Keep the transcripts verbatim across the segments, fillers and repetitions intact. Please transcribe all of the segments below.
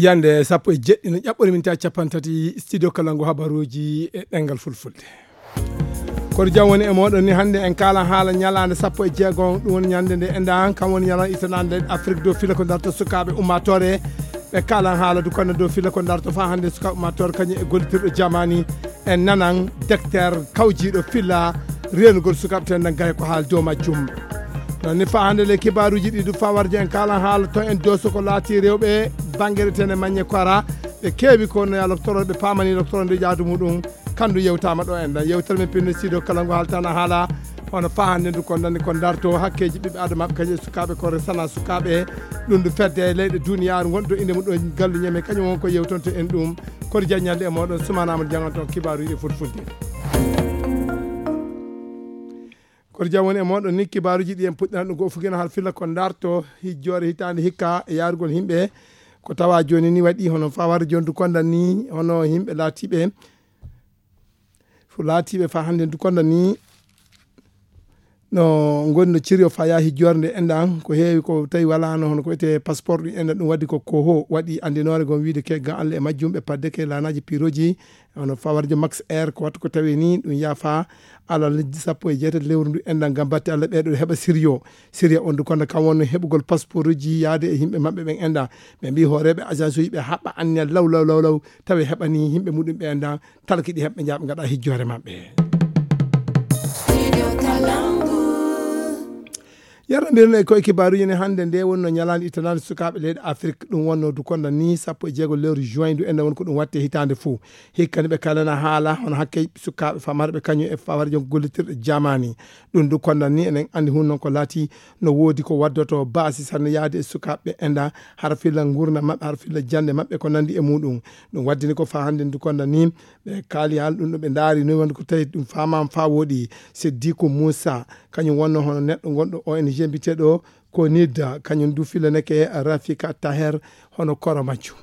Yande sappo e jeɗɗi no ƴaɓɓori min ta cappantati studio kalangu habaruji e ɗengal fulfulde. Koto jam woni e moɗon ni hannde en kalan haala ñalaande sappo e jeegom, ɗum woni ñande nde enɗan, kam woni ñalan itanande Afrique dow fila ko darto sukaaɓe ummatore. Ɓe kalan haala du konno dow fila ko darto fa hannde sukaaɓe ummatore kañum e gollitirɗo jamani. En nanan docteur kawjiiɗo filla reenugol sukaaɓe ten nan gaya ko haal dow majjum. Non ni fa hannde le kibaaruji ɗi du fa warjo en kalan haala to en doso ko laati rewɓe bangere ten e maññe kora ɓe keewi ko no ya loktoro ɓe paamani loktoro nde jaadu muɗum. Kandu yewtama ɗo en ɗan yewtere men pinno sido kala ngo haltana haala. Hono fa hannde ndu kon ɗanni kon darto hakkeji ɓiɓɓe adama kañum e sukaaɓe kore sana sukaaɓe. Ɗum ndu fedde e leyɗe duniyaaru ngonɗo inde mum ɗo gallu ñeme kañum won ko yewtonto en ɗum. Kono jaññalde e moɗon sumanama janganton kibaaruji e fulfulde. Kono jam woni e moɗon ni kibaaruji ɗi en puɗɗiran ɗum ko fugina har filla ko darto hijjore hitande hikka e yarugol himɓe. Ko tawa joni ni waɗi hono fa warde joni du kondan ni hono himɓe laatiɓe fo laatiɓe fa hannde du kondan ni no ngoni no ciri o fa yahi jorde enɗan ko heewi ko tawi walano hono ko wiyete passeport ɗum enɗan ɗum waɗi ko koho waɗi andinore gon wiide ke ga allah e majjum ɓe padde ke lanaji piroji. Hono fa warjo max air ko wattu ko tawi ni ɗum yafa alal sappo e jeetati lewru ndu enɗan gam batte allah ɓeɗo heɓa siriyo. Siriya on du konda kam wonno heɓugol passeport uji yaade e yimɓe maɓɓe ɓen enɗan. Ɓe mbi hooreɓe agence uji ɓe haɓɓa anniya law law law law tawi heɓani yimɓe muɗum ɓe enɗan. Talki ɗi heɓɓe jaaɓe gaɗa hijjore maɓɓe. Yarnambirno e koye kibaruji ne hannde nde wonno ñalande ittanande sukaaɓe leyɗe afrik ɗum wonno du konda ni sappo e jeego lewru juin du ende won ko ɗum watte hitande fou. Hikkani ɓe kalana haala hono hakke sukaaɓe famarɓe kañum e fawarjo gollitirɗe jamani. Ɗum du konda ni enen andi hun noon ko laati no woodi ko waddoto baasi sanne yaade e sukaaɓe ɓe enda hara filla ngurna maɓɓe hara filla jande maɓɓe ko nandi e muɗum. Ɗum waddini ko fa hannde du konda ni ɓe kaali hal ɗum ɗo ɓe ndaari noon wonde ko tawi ɗum faamaama faa wooɗi. Siddiku Muusa kañum wonno hono neɗɗo gonɗo ong mbiteɗo ko nidda kañum du filaneke rafika taher hono koro majjum.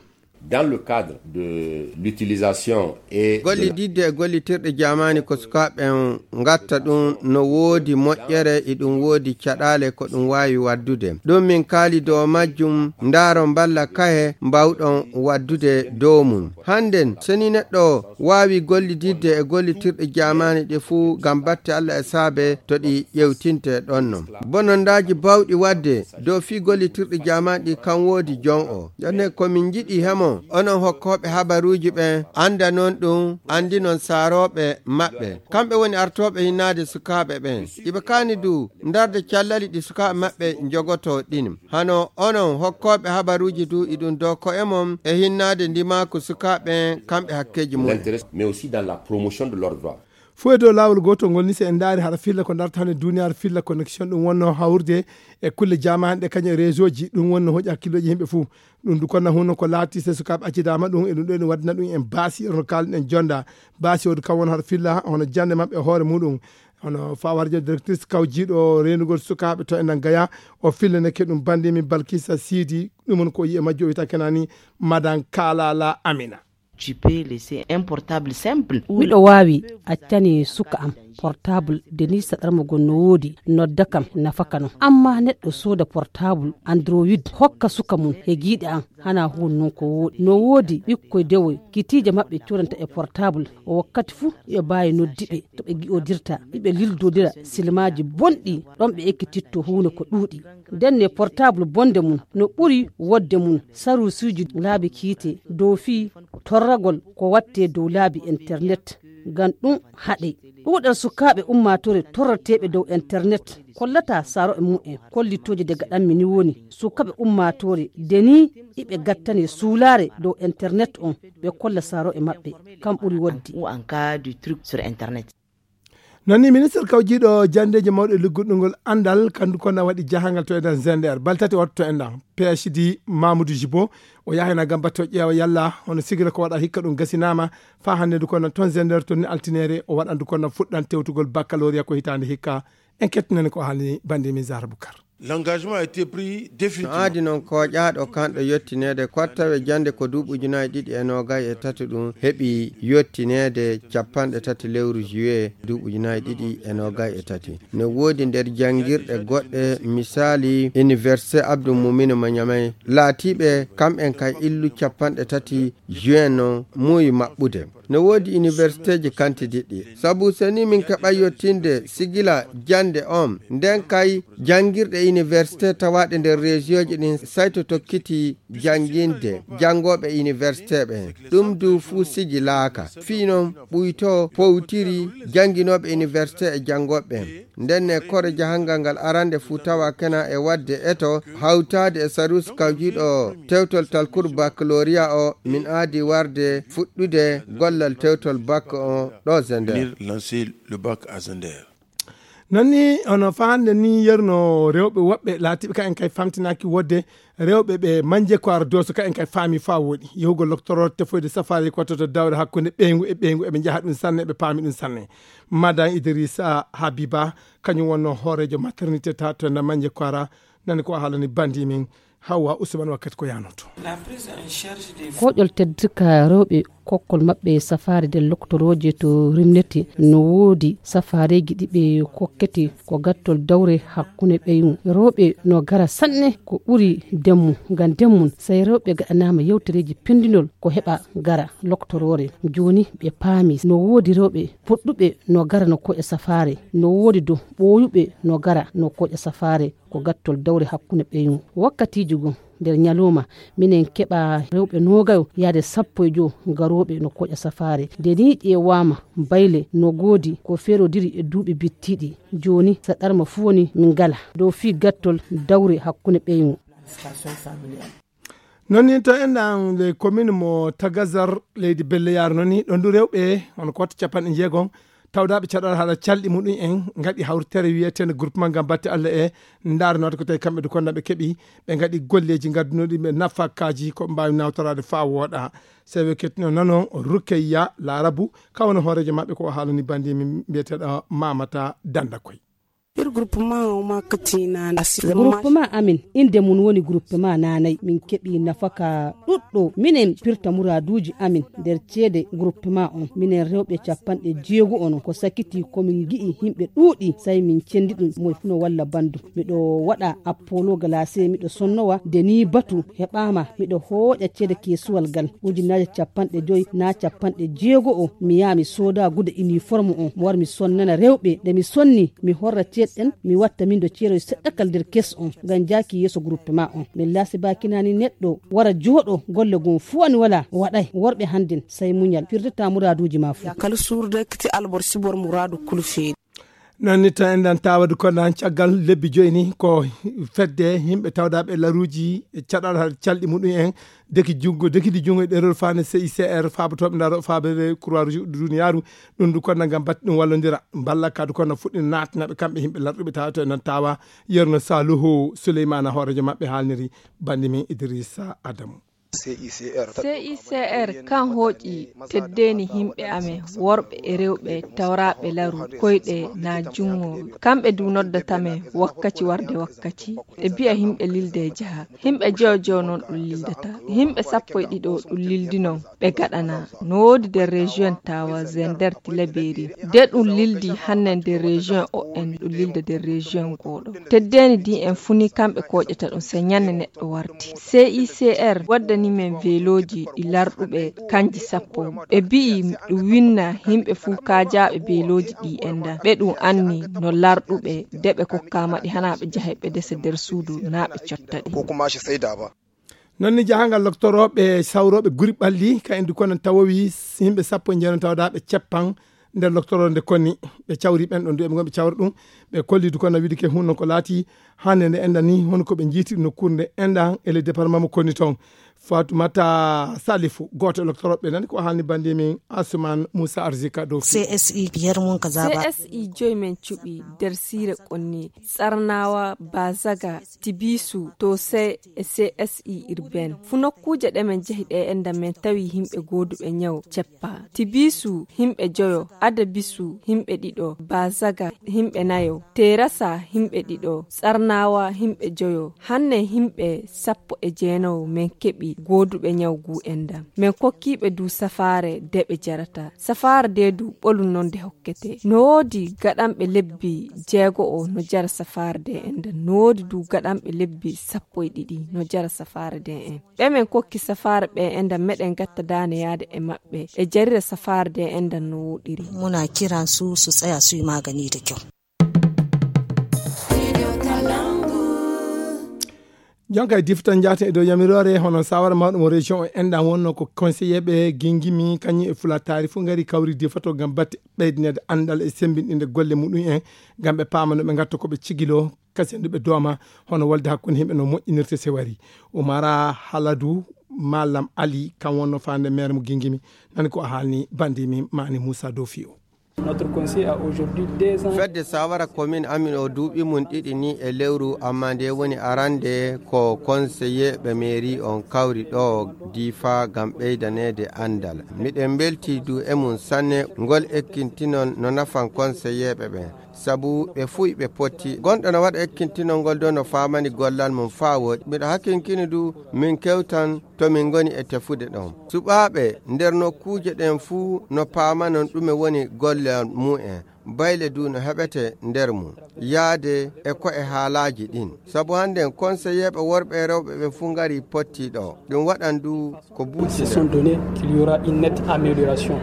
Dans le cadre de l'utilisation et gollididde e gollitirɗe jamani ko sukaaɓe en ngatta ɗum no woodi moƴƴere e ɗum woodi caɗaale ko ɗum waawi waddude ɗum min kaali dow majjum ndaaro mballa kahe mbawɗon waddude dow mum. Hannden so ni neɗɗo waawi gollididde e gollitirɗe jaamaani ɗi fuu ngam batte Allah e saabe to ɗi ƴeewtinte ɗonno. Bonondaaji baawɗi waɗde dow fii gollitirɗi jaamaani ɗi kam woodi jon o. Jone ko min njiɗi hemo onon hokkooɓe habaruuji ɓen anndanon ɗum anndinon saarooɓe maɓɓe. Kamɓe woni artooɓe hinnaade sukaaɓe ɓen. Iɓe kaani du ndarde callali ɗi sukaaɓe maɓɓe njogotoo ɗin. Hano onon hokkooɓe habaruuji du iɗum dow ko'e mon e hinnaade ndimaaku sukaaɓe kamɓe hakkeeji mum. L'intérêt, mais aussi dans la promotion de leurs droits. Fof e dow laawol gootol ngol ni so en ndaari hara filla ko darta hannde duniyaaru filla connexion ɗum wonno hawrude e kulle jamaani ɗe kañum e réseau ji ɗum wonno hoƴi hakkillooji yimɓe fof. Ɗum du konna hunno ko laati so sukaaɓe accidaama ɗum e ɗum ɗo ene waɗina ɗum en baasi hono kaalɗen jonda baasi o du kam won hara filla hono jannde maɓɓe e hoore muɗum. Hono fawarjo directrice kawjiiɗo reenugol sukaaɓe to enɗan gaya o fillaneke ɗum banndi min balkisa siidi ɗum woni ko yiye majjo o wiyata kenani madan kalala amina. Tu peux laisser un portable simple. Miɗo waawi accani suka am portable denisa ɗarmugol no woodi nodda kam nafaka non amma neɗɗo sooda portable android hokka suka mum e giiɗe am hana huun non ko wooɗi no woodi ɓikkoy dewoy kitiije maɓɓe codanta e portable o wakkati fuu yo baawi noddiɓe to ɓe gi'odirta iɓe lildodira silmaaji bonɗi ɗon ɓe ekkititto huunde ko ɗuuɗi ndenne portable bonde mum no ɓuri wodde mum sarusuuji laabi kiite dow fii torragol ko watte dow laabi internet ngam ɗum haɗe ɗuuɗal sukaaɓe ummaatoore torrateeɓe dow internet kollata saro'e mumen kollitooje daga ɗammi ni woni sukaaɓe ummaatoore de ni iɓe gattane suulaare dow internet on ɓe kolla saro'e maɓɓe kam ɓuri wodde. Ou en cas de truc sur internet. Non ni ministre kawjiiɗo janndeeji mawɗo e ligguɗungol anndal kandu konna waɗi jahangal to enɗan zender baltati watto to enɗan phd mamoudou jibo o yahayna gam batto ƴeewa yalla hono sigila ko waɗa hikka ɗum gasinaama fa hannde ndu konna toon zender toon ni altinere o waɗandu konna fuɗɗan tewtugol baccaloria ko hitaande hikka. En kettinani ko haalni bannde min zahra boukar. L'engagement a été pris définitivement. No aadi noon kooƴaaɗo kanɗo yottineede ko tawe jannde ko duuɓi ujunaaji ɗiɗi e noogay e tati ɗum heɓi yottineede capanɗe tati lewru juillet duuɓi ujunaaji ɗiɗi e noogay e tati. Ne woodi nder janngirɗe goɗɗe, misaali Université Abdou Moumouni mo Niamey, laatiiɓe kamɓen kay illu capanɗe tati juin noon muuyi maɓɓude. Ne woodi universitéeji kantidiɗɗi. Sabu so ni min keɓa yottinde sigila jannde on, nden kay janngirɗe université tawaaɗe nder région ji ɗin sayto tokkiti jannginde janngooɓe université ɓen. Ɗum du fuu sigilaaka. Fii non ɓuyto powtiri jannginooɓe université e janngooɓe ɓen. Nden ne kore jahangal ngal arande fuu tawa kena e waɗde eto hawtaade e Sarus kawjiiɗo tewtol talkuru baccalauréat o, min aadi warde fuɗɗude gollal tewtol bac o ɗo Zender. Venir lancer le bac à Zender. Non ni, ono faande ni yerno rewɓe woɓɓe laatiiɓe ka en kay famtinaaki wodde rewɓe ɓe manje ko ar doso ka en kay faami faa woɗi. Yehugol loktoroo tefoyde safaari ko to dawre hakkunde ɓeyngu e ɓeyngu eɓe njaha ɗum sanne, eɓe paami ɗum sanne. Madan Idrissa Habiba, kañum wonno hooreejo maternité ta to Namanje Kwara, nani ko haalani bandi min Hawa Usman wakkati ko yanoto. Koƴol tedduka rewɓe kokkol maɓɓe safaari nder loktorooje to Rimneti no woodi safaareeji ɗi ɓe kokkete ko gattol dawre hakkunde ɓeyngu. Rewɓe no gara sanne ko ɓuri demmu, ngam demmum, sey rewɓe gaɗanaama yewtereeji penndinol ko heɓa gara loktoroore. Jooni ɓe paami no woodi rewɓe puɗɗuɓe no gara no koƴa safaare, no woodi do ɓooyuɓe no gara no koƴa safaare, ko gattol dawre hakkunde ɓeyngu. Wakkatiiji goo, nder ñalawma, minen keɓa rewɓe noogayo yaade sappo e jowo garooɓe no koƴa safaare. Nde nii ƴeewaama, bayle no goodi ko feerodiri e duuɓi bittiiɗi. Jooni, saɗarma fuu woni min ngala dow fii gattol dawre hakkunde ɓeyngu. Non ni to enɗan le commune mo Tagazar, leydi Belleyaaru non ni, ɗon du rewɓe, hono ko watta capanɗe jeegom, tawdaaɓe caɗal haɗa calɗi muɗum en, ngaɗi hawritere wiyeteende groupement ngam batte Allah e ndaaranoode ko tawi kamɓe du kon naɓe keɓi, ɓe ngaɗi golleeji ngaddunoɗi ɓe nafakaaji ko mbaawi nawtoraade faa wooɗa. Sewe kettino nanon Rukeyya Laarabu, ka woni hooreejo maɓɓe ko o haalani bandi min mbiyeteeɗo Mamata Danda Koy. Ir groupement o ma katina. Groupement amin, innde mum woni groupement naanay. Min keɓi nafaka ɗuɗɗo. Minen pirta muraaduuji amin nder ceede groupement on. Minen rewɓe capanɗe jeego on, ko sakiti ko min ngi'i yimɓe ɗuuɗi, sey min cendi ɗum, moy fuu no walla banndum. Miɗo waɗa appolo galase, miɗo sonnowa, nde nii batu heɓaama, miɗo hooƴa ceede keesuwal ngal, ujunnaaje capanɗe joy naa capanɗe jeego o, mi yaha mi sooda gude uniforme on, mi wara mi sonnana rewɓe. Nde mi sonni, mi horra ceeɗe ɗen, mi watta min do ceeroy seɗɗa kal nder kees on, ngam jaaki yeeso groupement on. Min laasi baakinani neɗɗo wara jooɗo, golle gom fuu wani wala, waɗay. Worɓe hannden, sey muñal, firtata muraaduuji ma fuu. Ya kala suurde kiti albor sibor muraadu kulu feeɗi. Non ni tan enɗan taawadu ko nan caggal lebbi joyi ni ko fedde yimɓe tawdaaɓe laruuji e caɗal haa calɗi muɗum en deki junngo, dekidi junngo e ɗerol faande C I C R, faabotooɓe ndaro, faabere Croix Rouge duniyaaru, ɗum du konna ngam batte ɗum wallondira. Mballa kadu konna fuɗɗi naatnaɓe kamɓe yimɓe larɗuɓe tawa to e nan tawa yerno Saluhu Souleymana hoorejo maɓɓe haalniri bandi min Idrissa Adamu. C I C R kan hooƴi teddeni yimɓe amen, worɓe e rewɓe tawraɓe laru, koyɗe na junngo. Kamɓe du noddata men wakkaci warde wakkaci. Ɓe bi'a yimɓe lilde e jaha. Yimɓe jeyo jeyo noon ɗum lildata. Yimɓe sappo e ɗiɗo ɗum lildi noon. Ɓe gaɗana. No woodi nder région tawa Zender Tilaberi. De ɗum lildi hanne nder région o en ɗum lilda nder région goɗo. Teddeni di en funi kamɓe koƴata ɗum se ñande neɗɗo warti. C I C R waddani men veloji ɗi larɗuɓe kanji sappo. Ɓe bi'i ɗum winna yimɓe fuu kaajaɓe veloji ɗi enda. Ɓe ɗum anni no larɗuɓe de ɓe kokkama ɗi hana ɓe jahe ɓe dese nder suudu na ɓe cotta ɗi. Non ni jahangal loktorooɓe sawrooɓe guri ɓalli ka en du kono tawowi yimɓe sappo e njeeno tawdaaɓe ceppan nder loktoroo nde konni ɓe cawri ɓen ɗon du eɓe gon ɓe cawra ɗum ɓe kolli du kono wiide ke hunno ko laati hande nde enda ni hono ko ɓe jiiti nokkuure nde enda e le département mo konni toon. Fatumata Salifu, gooto e loktorooɓe, nani ko haalni bannde min Asuman Musa Arzika dow C S I. Yermun ka zaaba. C S I joyi men cuɓi nder siire Qonni, Tsarnawa, Bazaga, Tibisu, Tose e C S I urbaine. Fu nokkuuje ɗe men jehi ɗe enda men tawi himɓe gooduɓe ñaw ceppa. Tibisu, himɓe joyo. Adabisu, himɓe ɗiɗo. Bazaga, himɓe nayo. Terasa, himɓe ɗiɗo. Tsarnawa, himɓe joyo. Hanne himɓe sappo e jeenawo men keɓi gooduɓe ñaw gu enda. Men kokkiiɓe du safaare de ɓe jarata. Safaare de du ɓolu non de hokkete. No woodi gaɗanɓe lebbi jeego o no jara safaare de enda. No woodi du gaɗanɓe lebbi sappo e ɗiɗi no jara safaare de en. Ɓe men kokki safaare ɓe enda meɗen gatta daane yaade e maɓɓe. E jarira safaare de enda no woɗiri. Muna kiran su su tsaya su yi magani da kyau. Jonka e difta njaten e dow yamiroore hono sawara mawɗo mo région o enɗan wonno ko conseiller ɓe gingimi kañum e fula taari fof ngari kawri difato ngam batte ɓeydinede anndal e sembinɗinde golle muɗum en ngam ɓe paama no ɓe ngatta ko ɓe cigilo kasen ɗo ɓe dooma hono wolde hakkunde yimɓe no moƴƴinirta sewari. Umara Haladu Malam Ali kam wonno faande maire mo gingimi nani ko a haalni bandi min Mani Moussa Dofi o. Notre conseil a aujourd'hui deux ans. Fedde sawara commune amin o duuɓi mum ɗiɗi ni e lewru, amma nde woni arande ko conseiller ɓe mairie on kawri ɗo Difa ngam ɓeydaneede anndal. Miɗen mbelti du e mum sanne, ngol ekkintinon no nafan conseiller ɓe ɓen, sabu ɓe fuy ɓe potti. Gonɗo no waɗa ekkintinol ngol do no faamani gollal mum faa woɗi. Miɗo hakinkini du min kewtan to min ngoni e tefude ɗon. Suɓaaɓe nder nokkuuje ɗen fuu no paamanon ɗume woni gollal mu'en. Bayle du no heɓete nder mum, yaade e ko e haalaaji ɗin. Sabu hannden konseyeeɓe worɓe e rewɓe ɓen fuu ngarii pottii ɗo. Ɗum waɗan du ko buuti nder. Donné qu'il y aura une nette amélioration.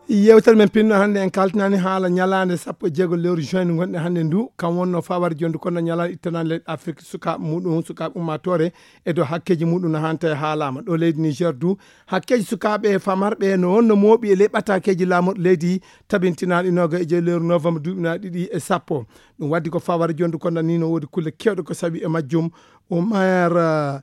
Yewtere men pinno hannde en kaltinaani haala ñalaande sappo e jeego lewru juin ndu ngonɗen hannde ndu, kam wonno fawar jondu kono ñalaande ittanaande leyɗe Afrik sukaaɓe muɗum, sukaaɓe ummaatoore e dow hakkeeji muɗum no hanta e haalaama. Ɗo leydi Niger du, hakkeeji sukaaɓe e famarɓe no wonno mooɓi e ley ɓataakeeji laamorɗo leydi tabintinaaɗi noga e jeego lewru novembre duuɓinaaɗi ɗiɗi e sappo. Ɗum waddi ko fawar jondu kono ni no woodi kulle kewɗe ko sawi e majjum. Oumar, eh,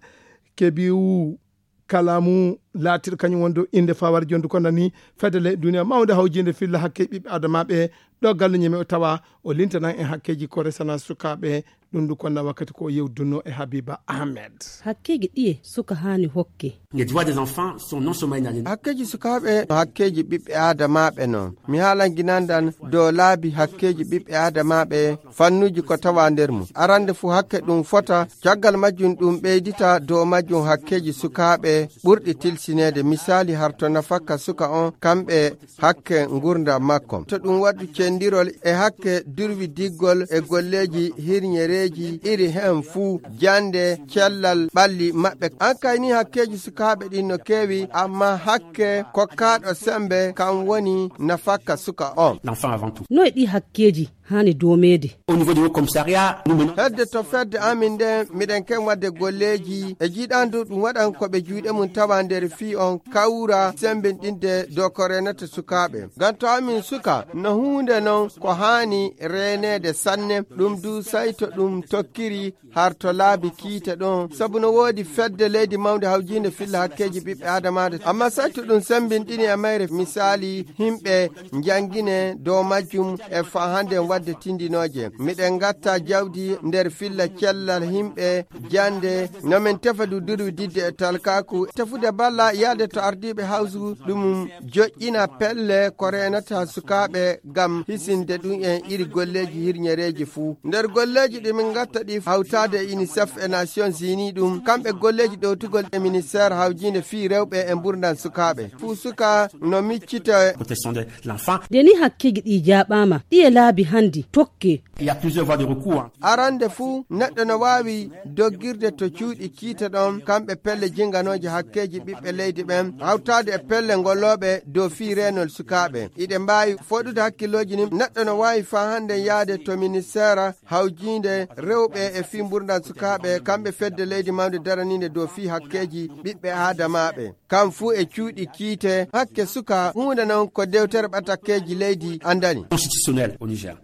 Kebiou Kalamu laatiiɗo kañum woni dow innde fawar jondu ko nani fedde leyɗe duniya mawnde hawjinde filla hakke ɓiɓɓe adamaaɓe ɗo galluñe men o tawa o lintanan en hakkeeji ko resana sukaaɓe ɗum ndu konna wakkati ko yewdunno e Habiba Ahmed. Hakkeeji ɗiye suka haani hokke? Les droits des enfants sont non seulement inaliénables. Hakkeeji sukaaɓe no hakkeeji ɓiɓɓe adamaaɓe non. Mi haalan ginandan dow laabi hakkeeji ɓiɓɓe adamaaɓe fannuuji ko tawa nder mum. Arande fu hakke ɗum fota, caggal majjum ɗum ɓeydita dow majjum hakkeeji sukaaɓe ɓurɗi tilsineede, misaali harto nafakka suka on, kamɓe hakke ngurndan makko. To ɗum waɗu cendirol e hakke durwi diggol e golleeji hirñereeji iri hen fuu, jande, cellal ɓalli maɓɓe. An kay ni hakkeeji sukaaɓe ɗin no keewi, amma hakke kokkaaɗo sembe kan woni nafakka suka on. L'enfant avant tout. Noy ɗi hakkeeji haani doomeede? Au niveau du haut commissariat, nous menons. Hedde to fedde amin nden, miɗen ken wadde golleeji. E jiiɗandu ɗum waɗan ko ɓe juuɗe mum tawa nder fii on kawra sembinɗinde dow ko reenata sukaaɓe. Ngam to amin suka, no huunde non ko haani reeneede sanne. Ɗum du sayto ɗum tokkiri har to laabi kiite ɗon, sabu no woodi fedde leydi mawnde hawjiinde filla hakkeeji ɓiɓɓe aadamaaɓe. Amma sayto ɗum sembinɗini e mayre, misaali, himɓe njangine dow majjum e faa hannde wadde tindinooje. Miɗen ngatta jawdi nder filla cellal himɓe jande, no min tefa du durwi didde e talkaaku. Tefude balla yaade to ardiiɓe hawsu ɗum joƴƴina pelle ko reenata sukaaɓe ngam hisinde ɗum en iri golleeji hirñereeji fuu. Nder golleeji ɗi min ngatta ɗi hawtaade e UNICEF e Nations Unies ɗum, kamɓe golleeji ɗowtugol e ministère hawjiinde fii rewɓe e mburndan sukaaɓe. Fuu suka no miccita. Protection de l'enfant. Nde ni hakkeeji ɗi jaaɓaama, ɗi e laabi handi tokke. Il y a plusieurs voies de recours, hein. Arande fuu, neɗɗo no waawi doggirde to cuuɗi kiite ɗon, kamɓe pelle jinganooje hakkeeji ɓiɓɓe leydi ɓen, hawtaade e pelle ngolooɓe dow fii reenol sukaaɓe. Iɗe mbaawi foɗude hakkillooji ni, neɗɗo no waawi faa hannde yaade to ministeera hawjiinde rewɓe e fii mburndan sukaaɓe, kamɓe fedde leydi mawnde daraniinde dow fii hakkeeji ɓiɓɓe aadamaaɓe. Kam fuu e cuuɗi kiite, hakke suka, huunde non ko dewtere ɓatakkeeji leydi andani. Constitutionnel au Niger.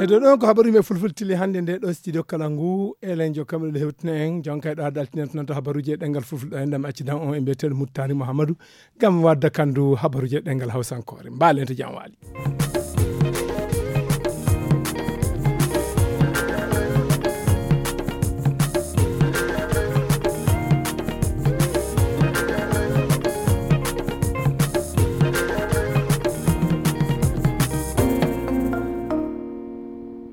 E ɗo ɗon ko habaru men fulfulde tili hannde nde ɗo studio kala ngu, elen jo kamɓe ɗo hewtina en jonka e ɗo ha daltinen to nanta habaruji e ɗengal fulfulde ɗo en ɗam accidan on e mbiyeteɗo muttani mouhamadou, gam wadda kandu habaruji e ɗengal hawsankoore. Mbalen to jam waali.